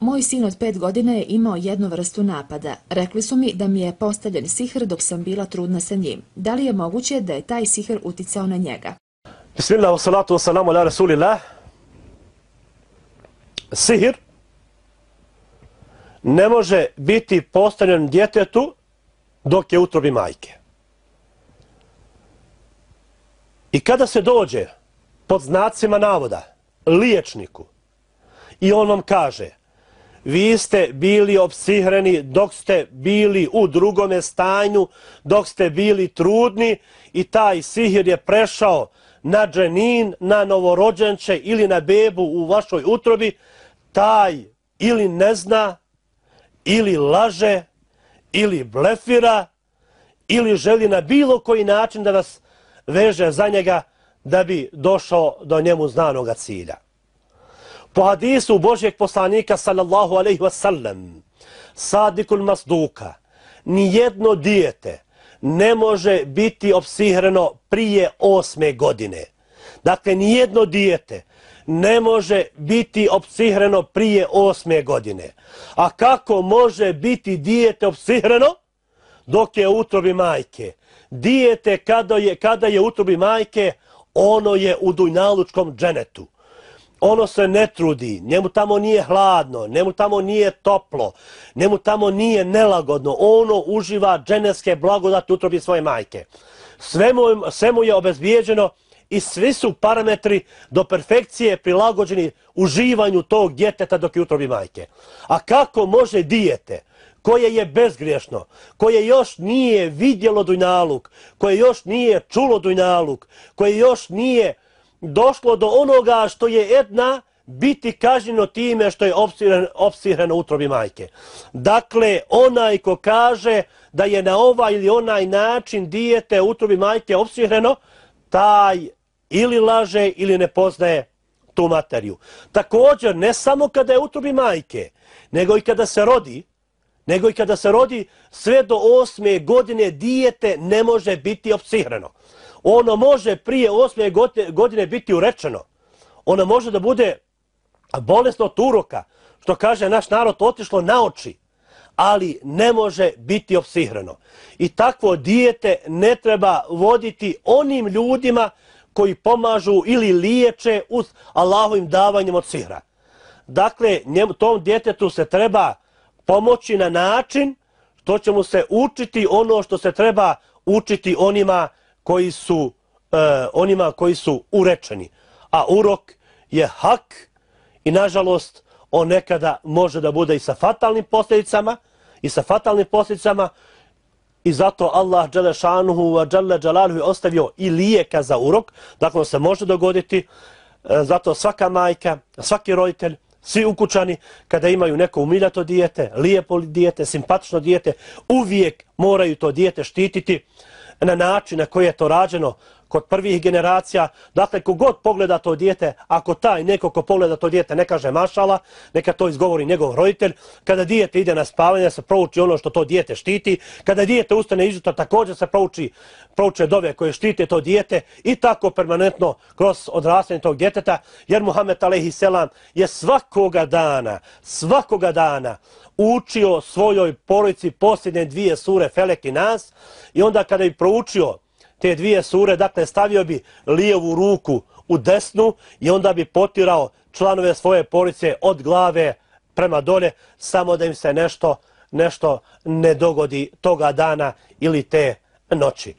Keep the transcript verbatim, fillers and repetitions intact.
Moj sin od pet godina je imao jednu vrstu napada. Rekli su mi da mi je postavljen sihr dok sam bila trudna sa njim. Da li je moguće da je taj sihr uticao na njega? Bismillah, wassalatu wassalamu ala rasulillah. Sihr ne može biti postavljen djetetu dok je u utrobi majke. I kada se dođe pod znacima navoda liječniku i on vam kaže: vi ste bili opsihreni dok ste bili u drugome stanju, dok ste bili trudni i taj sihir je prešao na dženin, na novorođenče ili na bebu u vašoj utrobi, taj ili ne zna, ili laže, ili blefira, ili želi na bilo koji način da vas veže za njega da bi došao do njemu znanoga cilja. Po hadisu Božjeg poslanika sallallahu alejhi ve sellem, Sadikul Masduka, nijedno dijete ne može biti opsihreno prije osme godine. Dakle, nijedno dijete ne može biti opsihreno prije osme godine. A kako može biti dijete opsihreno dok je u utrobi majke? Dijete kada je, kada je u utrobi majke, ono je u dunjalučkom dženetu. Ono se ne trudi, njemu tamo nije hladno, njemu tamo nije toplo, njemu tamo nije nelagodno. Ono uživa dženevske blagodati u utrobi svoje majke. Sve mu, sve mu je obezbijeđeno i svi su parametri do perfekcije prilagođeni uživanju tog djeteta dok je u utrobi majke. A kako može dijete koje je bezgriješno, koje još nije vidjelo dunjaluk, koje još nije čulo dunjaluk, koje još nije došlo do onoga što je Edna, biti kažnjeno time što je opsihreno u utrobi majke? Dakle, onaj ko kaže da je na ovaj ili onaj način dijete u utrobi majke opsihreno, taj ili laže ili ne poznaje tu materiju. Također, ne samo kada je u utrobi majke, nego i kada se rodi, nego i kada se rodi, sve do osme godine dijete ne može biti opsihreno. Ono može prije osme godine biti urečeno. Ono može da bude bolesno od uroka, što kaže naš narod, otišlo na oči, ali ne može biti opsihreno. I takvo dijete ne treba voditi onim ljudima koji pomažu ili liječe uz Allahovim davanjem od sihra. Dakle, njemu, tom djetetu se treba pomoći na način što će mu se učiti ono što se treba učiti onima koji su, uh, onima koji su urečeni. A urok je hak i nažalost on nekada može da bude i sa fatalnim posljedicama i sa fatalnim posljedicama i zato Allah dželle šanuhu wa dželle dželaluhu je ostavio i lijeka za urok. Dakle, on se može dogoditi. Zato svaka majka, svaki roditelj, svi ukućani, kada imaju neko umiljato dijete, lijepo dijete, simpatično dijete, uvijek moraju to dijete štititi na način na koji je to rađeno kod prvih generacija. Dakle, kogod pogleda to dijete, ako taj neko ko pogleda to dijete ne kaže mašala, neka to izgovori njegov roditelj. Kada dijete ide na spavanje, se prouči ono što to dijete štiti. Kada dijete ustane izjutra, također se prouči, prouče dove koje štite to dijete i tako permanentno kroz odrastanje tog djeteta. Jer Muhammed alejhi selam je svakoga dana, svakoga dana učio svojoj porodici posljednje dvije sure Felek i Nas i onda kada bi proučio te dvije sure, dakle stavio bi lijevu ruku u desnu i onda bi potirao članove svoje porodice od glave prema dolje, samo da im se nešto, nešto ne dogodi toga dana ili te noći.